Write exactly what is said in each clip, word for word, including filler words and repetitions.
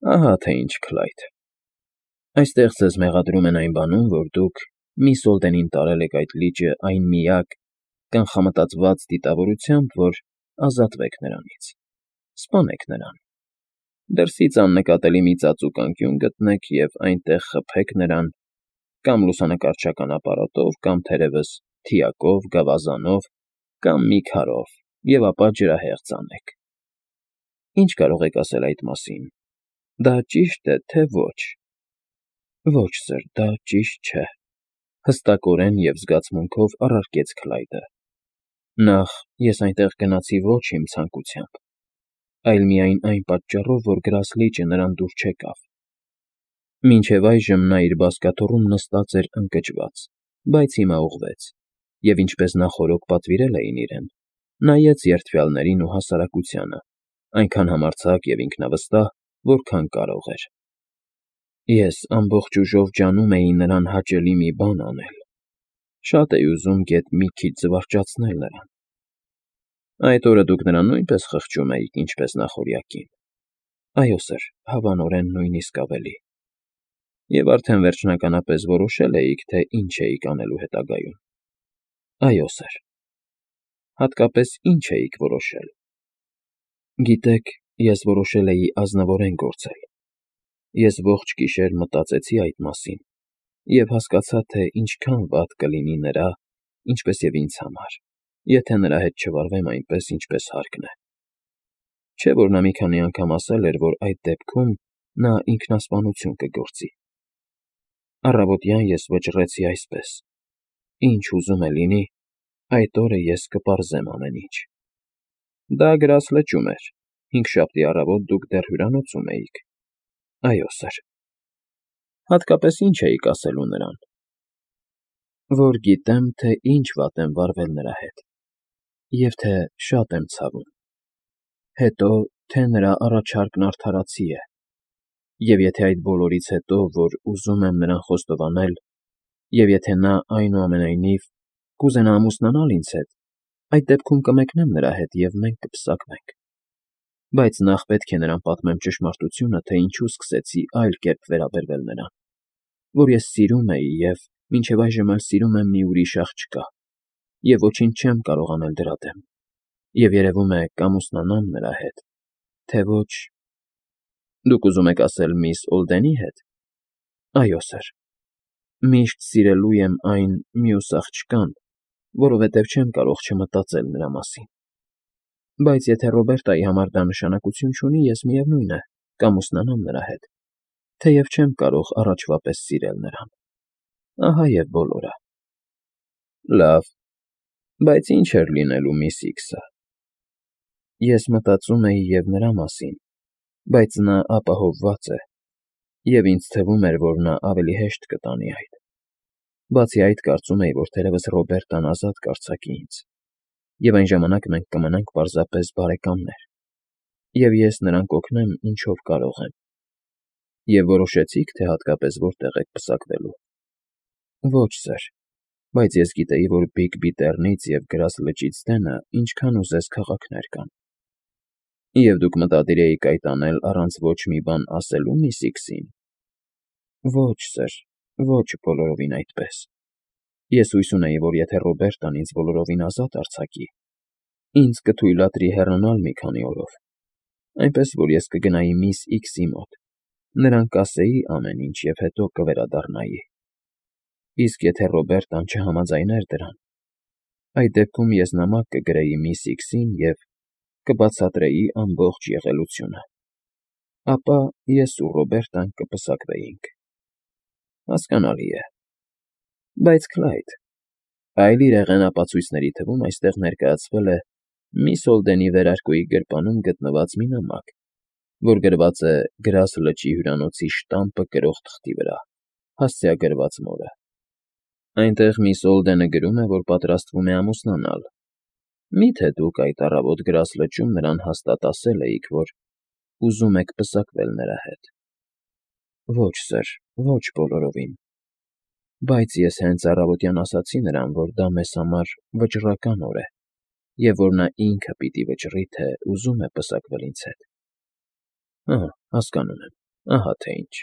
Ահա թե ինչ, Քլայդ, այստեղ ձեզ մեղադրում են այն բանում, որ դուք միս Օլդենին տարել եք այդ լիճը այն միակ, կանխամտածված դիտավորությամբ, որ ազատվեք նրանից, սպանեք նրան, դրսից աննկատելի մի ծածուկ անկյուն գտնեք և այնտեղ խփեք նրան կամ լուսանկարչական ապարատով, կամ թերևս թիակով, գավազանով կամ մի քարով և ապա ջրահեղձ անեք. ի՞նչ կարող եք ասել այդ մասին, դա ճի՞շտ է, թե ոչ։ ֊ Ոչ, սըր, դա ճիշտ չէ,֊ հստակորեն և զգացմունքով առարկեց Քլայդը։ Նախ, ես այնտեղ գնացի ոչ իմ ցանկությամբ, այլ միայն այն պատճառով, որ Գրասլիճը նրան դուր չեկավ։ Մինչև այժմ նա իր բազկաթոռում նստած էր ընկճված, բայց հիմա ուղղվեց և, ինչպես նախօրոք պատվիրել էին իրեն, նայեց երդվյալներին ու հասարակությանը, այնքան համարձակ և ինքնավստահ, որքան կարող էր։ Ես ամբողջ ուժով ջանում էի նրան հաճելի մի բան անել, շատ էի ուզում գեթ մի քիչ զվարճացնել նրան։ ֊ Այդ օրը դուք նրան նույնպե՞ս խղճում էիք, ինչպես նախօրյակին։ ֊ Այո, սըր, հավանորեն նույնիսկ ավելի։ ֊ Եվ արդեն վերջնականապես որոշել էիք, թե ինչ էիք անելու հետագայում։ ֊ Այո, սըր։ ֊ Հատկապես ի՞նչ էիք որոշել։ ֊ Գիտեք, ես որոշել էի ազնվորեն գործել։ Ես ողջ գիշեր մտածեցի այդ մասին և հասկացա, թե ինչքան վատ կլինի նրա, ինչպես և ինձ համար, եթե նրա հետ չվարվեմ այնպես, ինչպես հարկն է։ Չէ՞ որ նա մի քանի անգամ ասել էր, որ այդ դեպքում նա ինքնասպանություն կգործի։ Առավոտյան ես վճռեցի այսպես. ինչ ուզում է լինի, այդ օրը ես կպարզեմ ամեն ինչ։ Դա Գրասլճում էր, հինգշաբթի առավոտ դուք դեռ հյուրանոցում էիք։ ֊ Այո, սըր։ ֊ Հատկապես ի՞նչ էիք ասելու նրան։ ֊ Որ գիտեմ, թե ինչ վատ եմ վարվել նրա հետ, և թե շատ եմ ցավում, հետո, թե նրա առաջարկն արդարացի է, և եթե այդ բոլորից հետո, որ ուզում եմ նրան խոստովանել, և եթե նա, այնուամենայնիվ, կուզենա ամուսնանալ ինձ հետ, այդ դեպքում կմեկնեմ նրա հետ, և մենք կպսակվենք։ Բայց նախ պետք է նրան պատմեմ ճշմարտությունը, թե ինչու սկսեցի այլ կերպ վերաբերվել նրան, որ ես սիրում էի և մինչև այժմ էլ սիրում եմ մի ուրիշ աղջկա, և ոչինչ չեմ կարող անել դրա դեմ, և երևում է կամուսնանամ նրա հետ, թե ոչ… Դուք ուզում եք ասել միս Օլդենի հետ։ ֊ Այո, սըր։ Միշտ սիրելու եմ այն մյուս աղջկան, որովհետև չեմ կարող չմտածել նրա մասին։ Բայց եթե Ռոբերտայի համար դա նշանակություն չունի, ես, միևնույն է, կամուսնանամ նրա հետ, թեև չեմ կարող առաջվա պես սիրել նրան։ Ահա և բոլորը։ ֊ Լավ, բայց ի՞նչ էր լինելու միս Իքսը։ ֊ Ես մտածում էի և նրա մասին, բայց նա ապահովված է, և ինձ թվում էր, որ նա ավելի հեշտ կտանի այդ։ Բացի այդ, կարծում էի, որ թերևս Ռոբերտան ազատ կարձակի ինձ, և այն ժամանակ մենք կմնանք պարզապես բարեկամներ, և ես նրան կօգնեմ ինչով կարող եմ։ ֊ Եվ որոշեցի՞ք, թե հատկապես որտեղ եք պսակվելու։ ֊ Ոչ, սըր, բայց ես գիտեի, որ Բիգբի Տեռնից և Գրասլճից դենը ինչքան ուզես քաղաքներ կան։ ֊ Եվ դուք մտադիր էիք այդ անել առանց ոչ մի բան ասելու միս Իքսին։ ֊ Ոչ, սըր, ոչ բոլորովին այդպես։ Ես հույս ունեի, որ եթե Ռոբերտան ինձ բոլորովին ազատ արձակի, ինձ կթույլատրի հեռանալ մի քանի օրով, այնպես որ ես կգնայի միս Իքսի մոտ, նրան կասեի ամեն ինչ և հետո կվերադառնայի։ Իսկ եթե Ռոբերտան չհամաձայներ դրան, այդ դեպքում ես նամակ կգրեի միս Իքսին և կբացատրեի ամբողջ եղելությունը։ Ապա ես ու Ռոբերտան կպսակվեինք։ Հասկանալի է։ Բայց, Քլայդ, այլ իրեղեն ապացույցների թվում այստեղ ներկայացվել է միս Օլդենի վերարկուի գրպանում գտնված մի նամակ, որ գրված է Գրասլճի հյուրանոցի շտամպը կրող թղթի վրա, հասցեագրված մորը։ Այնտեղ միս Օլդենը գրում է, որ պատրաստվում է ամուսնանալ։ Մի՞թե դուք այդ առավոտ Գրասլճում նրան հաստատ ասել էիք, որ ուզում եք պսակվել նրա հետ։ ֊ Ոչ, սըր, ոչ բոլորովին։ Բայց ես հենց առավոտյան ասացի նրան, որ դա մեզ համար վճռական օր է, և որ նա ինքը պիտի վճռի, թե ուզում է պսակվել ինձ հետ։ ֊ Ահա, հասկանում եմ։ Ահա թե ինչ,֊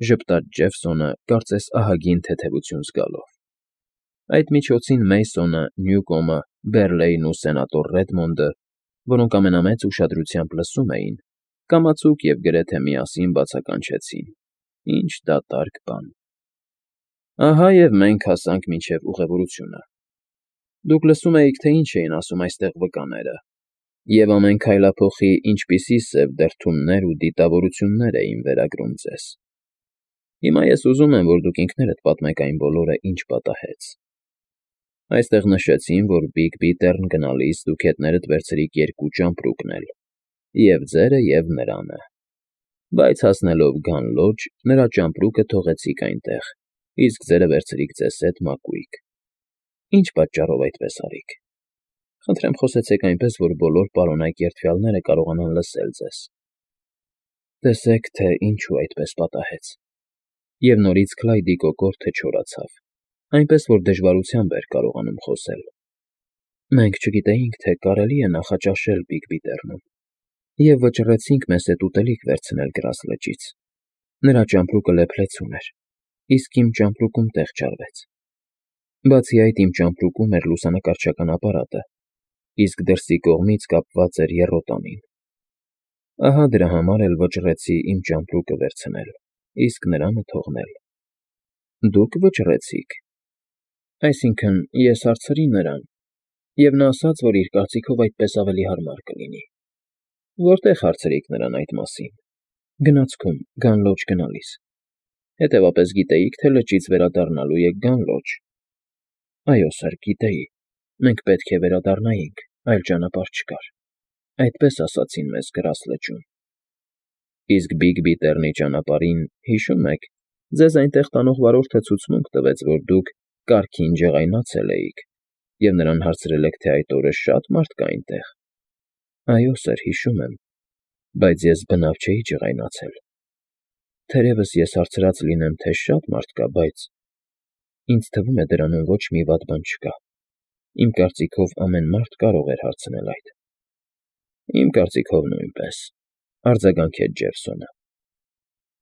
ժպտաց Ջեֆսոնը, կարծես ահագին թեթևություն զգալով։ Այդ միջոցին Մեյսոնը, Նյուկոմը, Բերլեյն ու սենատոր Ռեդմոնդը, որոնք ամենամեծ ուշադրությամբ լսում էին, կամացուկ և գրեթե միասին բացականչեցին. «Ինչ դատարկ բան»։ Ահա և մենք հասանք մինչև ուղևորությունը։ Դուք լսում էիք, թե ինչ էին ասում այստեղ վկաները, և ամեն քայլափոխի ինչպիսի սև դրդումներ ու դիտավորություններ էին վերագրում ձեզ։ Հիմա ես ուզում եմ, որ դուք ինքներդ պատմեք այն բոլորը, ինչ պատահեց։ Այստեղ նշեցին, որ Բիգ-Բիթեռն գնալիս դուք հետներդ վերցրիք երկու ճամպրուկներ, և՛ ձերը, և՛ նրանը, բայց հասնելով Գանլոջ, նրա ճամպրուկը թողեցիք այնտեղ, իսկ ձերը վերցրիք ձեզ հետ մակույկ։ Ի՞նչ պատճառով այդպես արիք։ Խնդրեմ խոսեցեք այնպես, որ բոլոր պարոնայք երդվյալները կարողանան լսել ձեզ։ Տեսեք, թե ինչու այդպես պատահեց։ Եվ նորից Քլայդի կոկորդը չորացավ, այնպես որ դժվարությամբ էր կարողանում խոսել։ Մենք չգիտեինք, թե կարելի է նախաճաշել Բիգ֊Բիթեռնում, և վճռեցինք մեզ հետ ուտելիք վերցնել Գրաս լճից։ Նրա ճամպրուկը լեփլեցուն էր, իսկ իմ ճամպրուկում տեղ չարվեց։ Բացի այդ, իմ ճամպրուկում էր լուսանկարչական ապարատը, իսկ դրսի կողմից կապված էր եռոտանին։ Ահա դրա համար էլ վճռեցի իմ ճամպրուկը վերցնել, իսկ նրանը թողնել։ Դուք վճռեցիք։ Այսինքն՝ ես հարցրի նրան, և նա ասաց, որ իր կարծիքով այդպես ավելի հարմար կլինի։ Որտե՞ղ հարցրիք նրան այդ մասին։ Գնացքում, Գանլոջ գնալիս։ Հետևաբար գիտեիք, թե լճից վերադառնալու եք Գանլոջ։ Այո, սըր, գիտեի։ Մենք պետք է վերադառնայինք, այլ ճանապարհ չկար։ Այդպես ասացին մեզ Գրաս լճում։ Իսկ Բիգ֊Բիթեռնի ճանապարհին, հիշո՞ւմ եք, ձեզ այնտեղ տանող վարորդը ցուցմունք տվեց, որ դուք կարգին ջղայնացել էիք, և նրան հարցրել եք, թե այդ օրը շա՞տ մարդ կա այնտեղ։ Այո, սըր, հիշում եմ, բայց ես բնավ չէի ջղայնացել։ Թերևս ես հարցրած լինեմ, թե շա՞տ մարդ կա, բայց… Ինձ թվում է, դրանում ոչ մի վատ բան չկա։ Իմ կարծիքով ամեն մարդ կարող էր հարցնել այդ։ Իմ կարծիքով նույնպես,֊ արձագանքեց Ջեֆսոնը։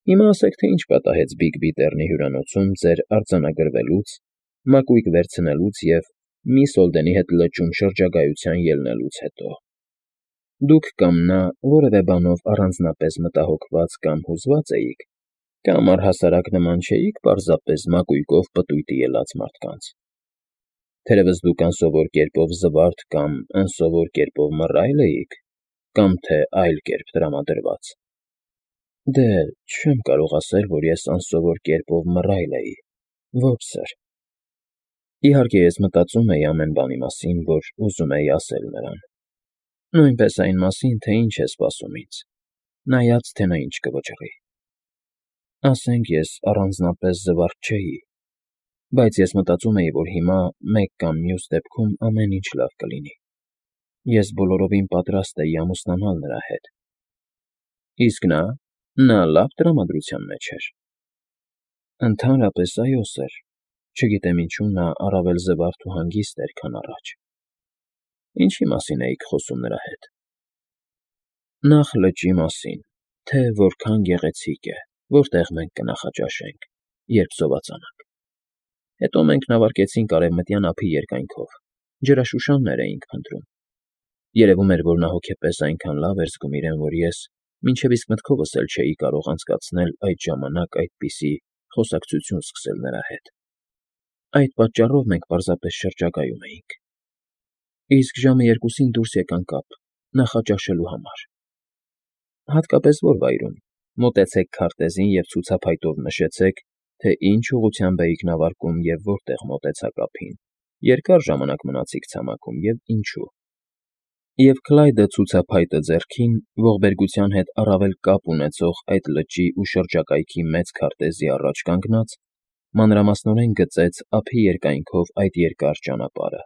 Հիմա ասեք, թե ինչ պատահեց Բիգ֊Բիթեռնի հյուրանոցում ձեր արձանագրվելուց, մակույկ վերցնելուց և միսս Հոլդենի հետ լճում շրջագայության ելնելուց հետո։ Դուք կամ նա որևէ բանով առանձնապես մտահոգված կամ հուզված էիք, կամ առհասարակ նման չէիք պարզապես մակույկով պտույտի ելած մարդկանց։ Թերևս դուք անսովոր կերպով զվարթ կամ անսովոր կերպով մռայլ էիք, կամ թե այլ կերպ տրամադրված։ Դե, չեմ կարող ասել, որ ես անսովոր կերպով մռայլ էի, ոչ սըր։ Իհարկե, ես մտածում էի ամեն բանի մասին, որ ուզում էի ասել նրան։ Նույնպես այն մասին, թե ինչ է սպասում ինձ, նայած, թե նա ինչ կվճռի։ Ասենք, ես առանձնապես զվարթ չէի, բայց ես մտածում էի, որ հիմա, մեկ կամ մյուս դեպքում ամեն ինչ լավ կլինի։ Ես բոլորովին պատրաստ էի ամուսնանալ նրա հետ։ Իսկ նա… նա լավ տրամադրության մեջ էր։ Ընդհանրապես, այո, սըր, չգիտեմ ինչու նա առավել զվարթ ու հանգիստ էր, քան առաջ։ Ինչի՞ մասին էիք խոսում նրա հետ։ Նախ լճի մասին, թե որքան գեղեցիկ է, որտեղ մենք կնախաճաշենք, երբ սովածանանք։ Հետո մենք նավարկեցինք արևմտյան ափի երկայնքով, ջրաշուշաններ էինք փնտրում։ Երևում էր, որ նա հոգեպես այնքան լավ էր զգում իրեն, որ ես մինչև իսկ մտքովս էլ չէի կարող անցկացնել այդ ժամանակ այդպիսի խոսակցություն սկսել նրա հետ։ Այդ պատճառով մենք պարզապես շրջագայում էինք։ Իսկ ժամը երկուսին դուրս եկանք ափ, նախաճաշելու համար։ Հատկապես ո՞ր վայրում, մոտեցեք քարտեզին և ցուցափայտով նշեցեք, թե ինչ ուղղությամբ էիք նավարկում և որտեղ մոտեցաք ափին, երկար ժամանակ մնացիք ցամաքում և ինչու։ Եվ Քլայդը ցուցափայտը ձեռքին, ողբերգության հետ առավել կապ ունեցող այդ լճի ու շրջակայքի մեծ քարտեզի առաջ կանգնած, մանրամասնորեն գծեց ափի երկայնքով այդ երկար ճանապարհը,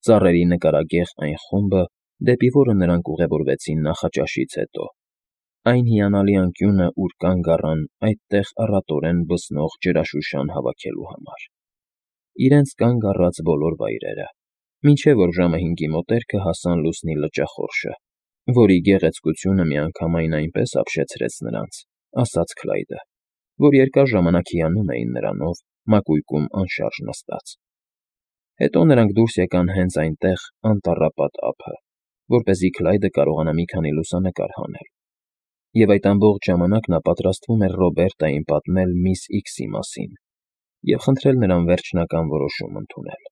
ծառերի նկարագեղ այն խումբը, դեպի որը նրանք ուղևորվեցին նախաճաշից հետո, այն հիանալի անկյունը, ուր կանգ առան այդտեղ առատորեն բսնող ջրաշուշան հավաքելու համար, իրենց կանգ առած բոլոր վայրերը, մինչև որ ժամը հինգի մոտերքը հասան լուսնի լճախորշը, որի գեղեցկությունը միանգամայն այնպես ապշեցրեց նրանց, ասաց Քլայդը, որ երկար ժամանակ հիանում էին նրանով մակույկում անշարժ նստած։ Հետո նրանք դուրս եկան հենց այնտեղ անտառապատ ափը, որպեսզի Քլայդը կարողանա մի քանի լուսանկար հանել, և այդ ամբողջ ժամանակ նա պատրաստվում էր Ռոբերտային պատմել միս Իքսի մասին և խնդրել նրան վերջնական որոշում ընդունել։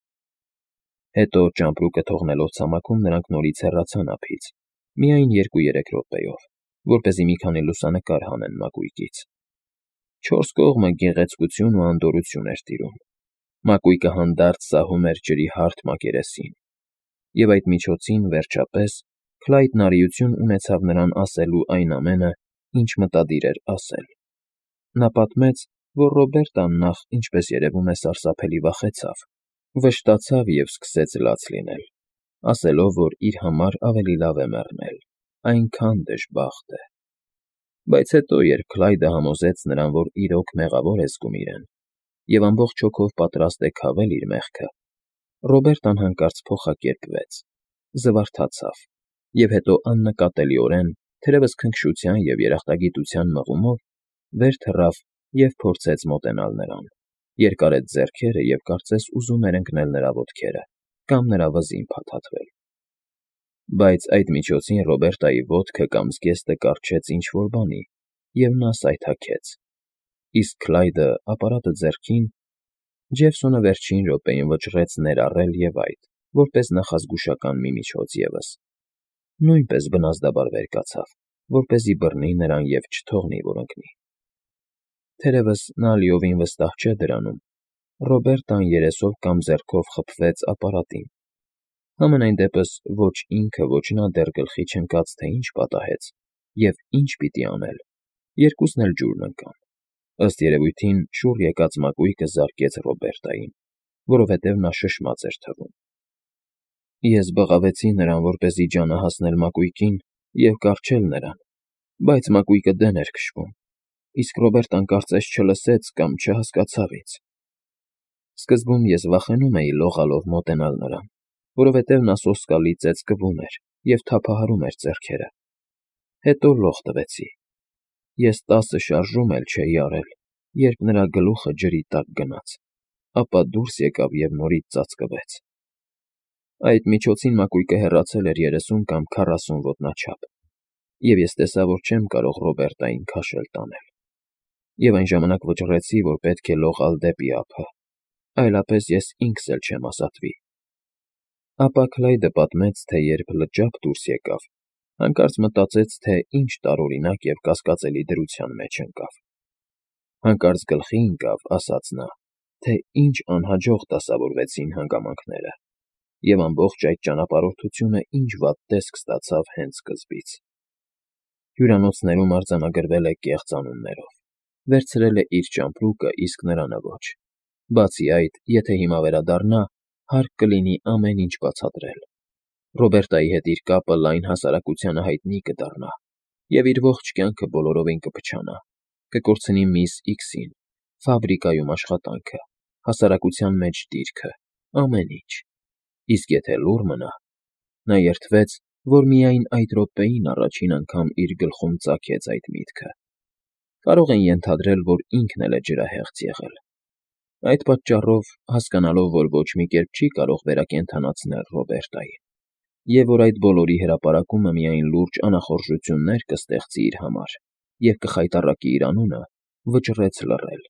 Հետո ճամպրուկը թողնելով ցամաքում նրանք նորից հեռացան ափից, միայն երկու֊երեք րոպեով, որպեսզի մի քանի լուսանկար հանեն մակույկից։ Չորս կողմը գեղեցկություն ու անդորրություն էր տիրում, մակույկը հանդարտ սահում էր ջրի հարթ մակերեսին, և այդ միջոցին, վերջապես, Քլայդն արիություն ունեցավ նրան ասելու այն ամենը, ինչ մտադիր էր ասել։ Նա պատմեց, որ Ռոբերտան նախ, ինչպես երևում է, սարսափելի վախեցավ, վշտացավ և սկսեց լաց լինել, ասելով, որ իր համար ավելի լավ է մեռնել, այնքան դժբախտ է։ Բայց հետո, երբ Քլայդը համոզեց նրան, որ իրոք մեղավոր է զգում իրեն և ամբողջ հոգով պատրաստ է քավել իր մեղքը, Ռոբերտան հանկարծ փոխակերպվեց, զվարթացավ և հետո աննկատելիորեն, թերևս քնքշության և երախտագիտության մղումով, վեր թռավ և փորձեց մոտենալ նրան, երկարեց ձեռքերը և կարծես ուզում էր ընկնել նրա ոտքերը կամ նրա վզին փաթաթվել։ Բայց այդ միջոցին Ռոբերտայի ոտքը կամ զգեստը կառչեց ինչ֊որ բանի, և նա սայթաքեց, իսկ Քլայդը, ապարատը ձեռքին, Ջեֆսոնը վերջին րոպեին վճռեց ներառել և այդ, որպես նախազգուշական մի միջոց ևս, նույնպես բնազդաբար վեր կացավ, որպեսզի բռնի նրան և չթողնի, որ ընկնի։ Թերևս նա լիովին վստահ չէ դրանում, Ռոբերտան երեսով կամ ձեռքով խփվեց ապարատին, համենայն դեպս ոչ ինքը, ոչ նա դեռ գլխի չընկած, թե ինչ պատահեց և ինչ պիտի անել, երկուսն էլ ջուրն ընկան։ Ըստ երևույթին, շուռ եկած մակույկը զարկեց Ռոբերտային, որովհետև նա շշմած էր թվում։ Ես բղավեցի նրան, որպեսզի ջանը հասնել մակույկին և կառչել նրան, բայց մակույկը դեն էր քշվում, իսկ Ռոբերտան կարծես չլսեց կամ չհասկացավ ինձ։ Սկզբում ես վախենում էի լողալով մոտենալ նրան, որովհետև նա սոսկալի ծեծկվում էր և թափահարում էր ձեռքերը։ Հետո լող տվեցի։ Ես տասը շարժում էլ չէի արել, երբ նրա գլուխը ջրի տակ գնաց, ապա դուրս եկավ և նորից ծածկվեց։ Այդ միջոցին մակույկը հեռացել էր երեսուն կամ քառասուն ոտնաչափ, և ես տեսա, որ չեմ կարող Ռոբերտային քաշել տանել, և այն ժամանակ վճռեցի, որ պետք է լողալ դեպի ափը, այլապես ես ինքս էլ չեմ ազատվի։ Ապա Քլայդը պատմեց, թե երբ լճափ դուրս եկավ, հանկարծ մտածեց, թե ինչ տարօրինակ և կասկածելի դրության մեջ ընկավ։ Հանկարծ գլխի ընկավ, ասաց նա, թե ինչ անհաջող դասավորվեցին հանգամանքները, և ամբողջ այդ ճանապարհորդությունը ինչ վատ տեսք ստացավ հենց սկզբից։ Հյուրանոցներում արձանագրվել է կեղծ անուններով, վերցրել է իր ճամպրուկը, իսկ նրանը ոչ։ Բացի այդ, եթե հիմա վերադառնա, հարկ կլինի ամեն ինչ բացատրել։ Ռոբերտայի հետ իր կապը լայն հասարակությանը հայտնի կդառնա, և իր ողջ կյանքը բոլորովին կփչանա, կկորցնի միս Իքսին, ֆաբրիկայում աշխատանքը, հասարակության մեջ դիրքը, ամեն ինչ։ Իսկ եթե լուռ մնա… Նա երդվեց, որ միայն այդ րոպեին առաջին անգամ իր գլխում ծագեց այդ միտքը։ Կարող են ենթադրել, որ ինքն էլ է ջրահեղձ եղել։ Այդ պատճառով, հասկանալով, որ ոչ մի կերպ չի կարող վերակենդանացնել Ռոբերտային, և որ այդ բոլորի հրապարակումը միայն լուրջ անախորժություններ կստեղծի իր համար և կխայտառակի իր անունը, վճռեց լռել։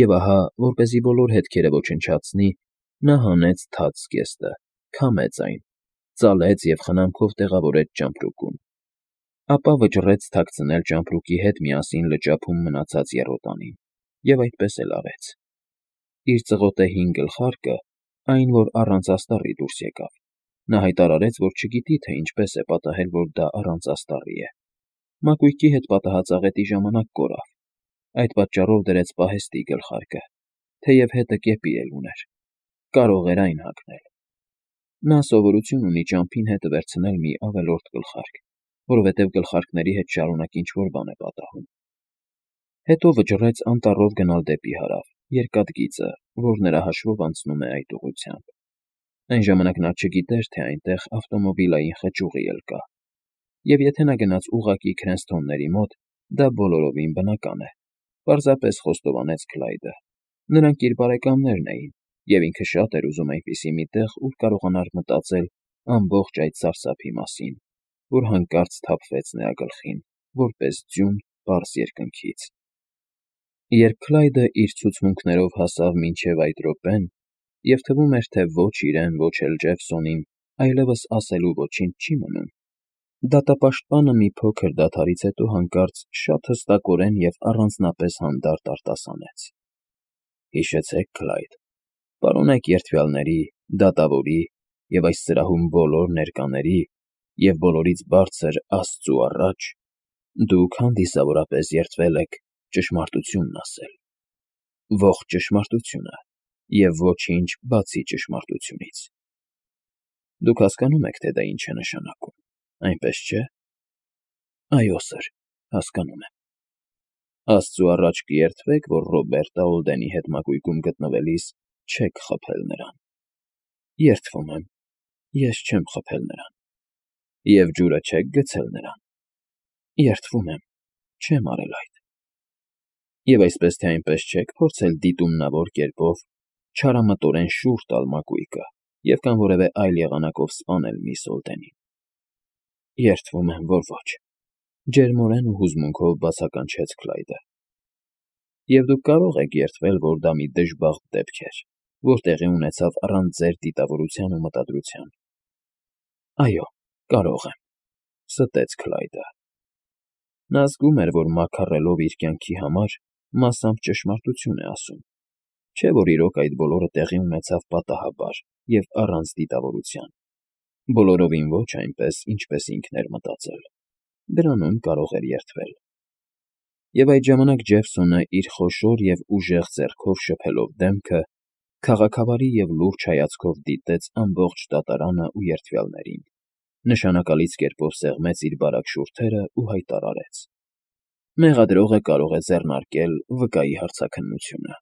Եվ ահա, որպեսզի բոլոր հետքերը ոչնչացնի, նա հանեց թաց զգեստը, քամեց այն, ծալեց և խնամքով տեղավորեց ճամպրուկում, ապա վճռեց թաքցնել ճամպրուկի հետ միասին լճափում մնացած եռոտանին, և այդպես էլ արեց։ Իր ծղոտե հին գլխարկը, այն, որ առանց աստառի դուրս եկավ, նա հայտարարեց, որ չգիտի, թե ինչպես է պատահել, որ դա առանց աստառի է։ Մակույկի հետ պատահած աղետի ժամանակ կորավ, այդ պատճառով դրեց պահեստի գլխարկը, թեև հետը կեպի էլ ուներ, կարող էր այն հագնել։ Նա սովորություն ունի ճամփին հետը վերցնել մի ավելորդ գլխարկ, որովհետև գլխարկների հետ շարունակ ինչ֊որ բան է պատահում։ Հետո վճռեց անտառով գնալ դեպի հարավ, երկաթգիծը, որ նրա հաշվով անցնում է այդ ուղղությամբ։ Այն ժամանակ նա չգիտեր, թե այնտեղ ավտոմոբիլային խճուղի էլ կա, և եթե նա գնաց ուղղակի Քրենսթոնների մոտ, Դա բոլորովին բնական է,֊ պարզապես խոստովանեց Քլայդը։ Նրանք իր բարեկամներն էին, և ինքը շատ էր ուզում այնպիսի մի տեղ, ուր կարողանար մտածել ամբողջ այդ սարսափի մասին, որ հանկարծ թափվեց նրա գլխին, որպես ձյուն պարզ երկնքից։ Երբ Քլայդը իր ցուցմունքներով հասավ մինչև այդ րոպեն, և թվում էր, թե ոչ իրեն, ոչ էլ Ջեֆսոնին այլևս ասելու ոչինչ չի մնում, դատապաշտպանը մի փոքր դադարից հետո հանկարծ շատ հստակորեն և առանձնապես հանդարտ արտասանեց. «Հիշեցեք, Քլայդ, պարոնայք երդվյալների, դատավորի և այս սրահում բոլոր ներկաների և բոլորից բարձր Աստծու առաջ դուք հանդիսավորապես երդվել եք ճշմարտությունն ասել, ողջ ճշմարտությունը և ոչինչ բացի ճշմարտությունից։ Դուք հասկանում եք, թե դա ինչ է նշանակում, այնպես չէ՞»։ «Այո, սըր, հասկանում եմ»։ «Աստծու առաջ կերդվեք, որ Ռոբերտը Օլդենի հետ մակույկում գտնվելիս չեք խաբել նրան»։ «Երդվում եմ, ես չեմ խաբել նրան»։ «Եվ ջուրը չեք գցել նրան»։ «Երդվում եմ, չեմ արել այդ»։ «Եվ այսպես թե այնպես չեք փորձել դիտումնավոր կերպով չարամտորեն շուռ տալ մակույկը և կամ որևէ այլ եղանակով սպանել միս Օլդենին»։ «Երդվում եմ, որ ոչ», ջերմորեն ու հուզմունքով բացականչեց Քլայդը։ «Եվ դուք կարող եք երդվել, որ դա մի դժբախտ դեպք էր, որ տեղի ունեցավ առանց ձեր դիտավորության ու մտադրության»։ «Այո, կարող եմ»,֊ ստեց Քլայդը։ Նա զգում էր, որ մաքարելով իր կյանքի համար մասամբ ճշմարտություն է ասում, չէ՞ որ իրոք այդ բոլորը տեղի ունեցավ պատահաբար և առանց դիտավորության, բոլորովին ոչ այնպես, ինչպես ինքն էր մտածել։ Դրանում կարող էր երդվել։ Եվ այդ ժամանակ Ջեֆսոնը իր խոշոր և ուժեղ ձեռքով շփելով դեմքը, քաղաքավարի և լուրջ հայացքով դիտեց ամբողջ դատարանն ու երդվյալներին, նշանակալից կերպով սեղմեց իր բարակ շուրթերն ու հայտարարեց. «Մեղադրողը կարող է ձեռնարկել վկայի հարցաքննությունը»։